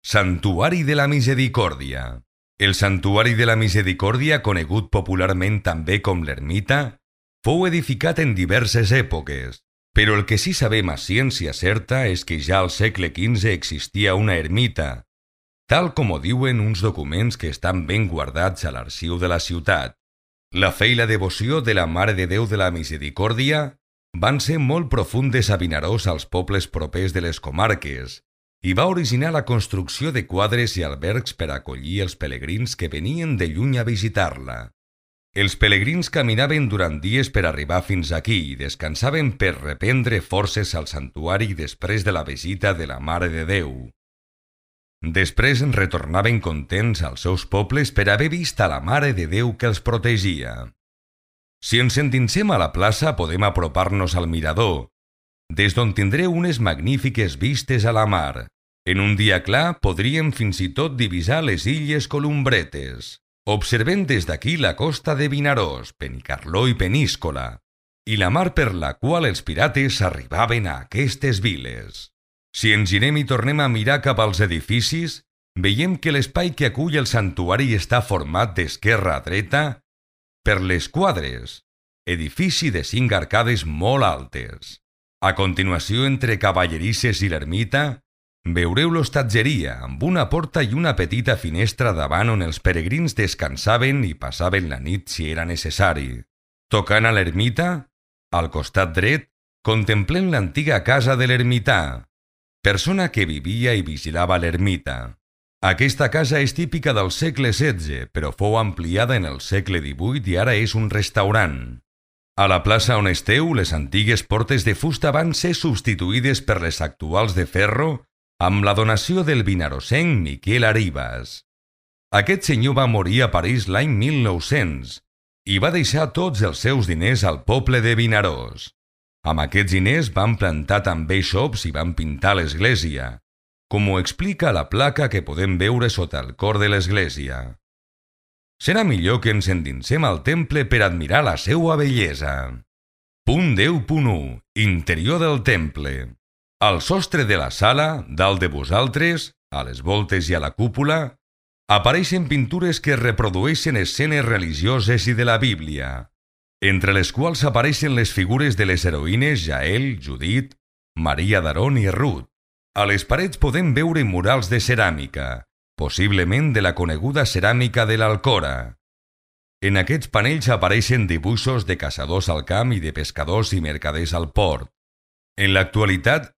Santuari de la Misericòrdia. El Santuari de la Misericòrdia, conegut popularment també com l'Ermita, fou edificat en diverses èpoques, però el que sí sabem a ciència certa és que ja al segle XV existia una ermita, tal com ho diuen uns documents que estan ben guardats a l'arxiu de la ciutat. La fe i la devoció de la Mare de Déu de la Misericòrdia van ser molt profundes a Vinaròs als pobles propers de les comarques i va originar la construcció de quadres i albergs per acollir els pelegrins que venien de lluny a visitar-la. Els pelegrins caminaven durant dies per arribar fins aquí i descansaven per reprendre forces al santuari després de la visita de la Mare de Déu. Després retornaven contents als seus pobles per haver vist a la Mare de Déu que els protegia. Si ens endinsem a la plaça podem apropar-nos al mirador, des d'on tindreu unes magnífiques vistes a la mar. En un dia clar podríem fins i tot divisar les illes Columbretes, observant des d'aquí la costa de Vinaròs, Benicarló i Peníscola, i la mar per la qual els pirates arribaven a aquestes viles. Si ens girem i tornem a mirar cap als edificis, veiem que l'espai que acull el santuari està format d'esquerra a dreta per les quadres, edifici de 5 arcades molt altes. A continuació, entre cavallerisses i l'ermita, veureu l'hostatgeria, amb una porta i una petita finestra davant on els peregrins descansaven i passaven la nit si era necessari. Tocant a l'ermita, al costat dret, contemplem l'antiga casa de l'ermità, persona que vivia i vigilava l'ermita. Aquesta casa és típica del segle XVI, però fou ampliada en el segle XVIII i ara és un restaurant. A la plaça on esteu, les antigues portes de fusta van ser substituïdes per les actuals de ferro amb la donació del vinarosenc Miquel Arribas. Aquest senyor va morir a París l'any 1900 i va deixar tots els seus diners al poble de Vinaròs. Amb aquests diners van plantar també xops i van pintar l'església, com ho explica la placa que podem veure sota el cor de l'església. Serà millor que ens endinsem al temple per admirar la seua bellesa. Punt 10.1. Interior del temple. Al sostre de la sala, dalt de vosaltres, a les voltes i a la cúpula, apareixen pintures que reprodueixen escenes religioses i de la Bíblia, entre les quals apareixen les figures de les heroïnes Jael, Judit, Maria d'Aron i Ruth. A les parets podem veure murals de ceràmica, possiblement de la coneguda ceràmica de l'Alcora. En aquests panells apareixen dibuixos de caçadors al camp i de pescadors i mercaders al port. En l'actualitat,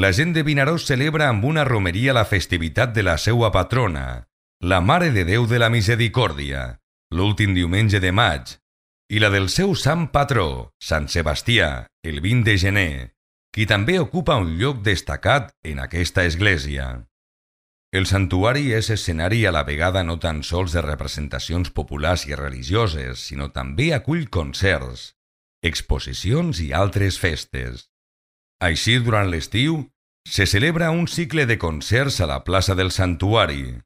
la gent de Vinaròs celebra amb una romeria la festivitat de la seua patrona, la Mare de Déu de la Misericòrdia, l'últim diumenge de maig, i la del seu sant patró, Sant Sebastià, el 20 de gener, qui també ocupa un lloc destacat en aquesta església. El santuari és escenari a la vegada no tan sols de representacions populars i religioses, sinó també acull concerts, exposicions i altres festes. Així, durant l'estiu, se celebra un cicle de concerts a la plaça del santuari,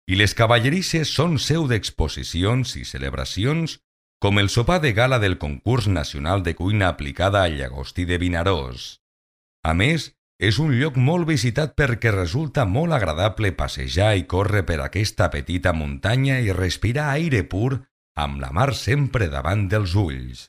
i les cavallerisses són seu d'exposicions i celebracions com el sopar de gala del concurs nacional de cuina aplicada al llagostí de Vinaròs. A més, és un lloc molt visitat perquè resulta molt agradable passejar i córrer per aquesta petita muntanya i respirar aire pur amb la mar sempre davant dels ulls.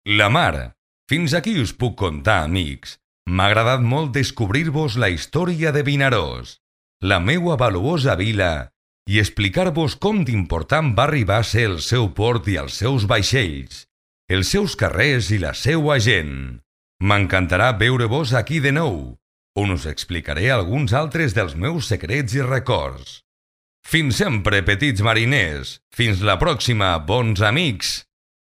La mar! Fins aquí us puc contar, amics. M'ha agradat molt descobrir-vos la història de Vinaròs, la meua valuosa vila, i explicar-vos com d'important va arribar a ser el seu port i els seus vaixells, els seus carrers i la seua gent. M'encantarà veure-vos aquí de nou, on us explicaré alguns altres dels meus secrets i records. Fins sempre, petits mariners! Fins la pròxima, bons amics!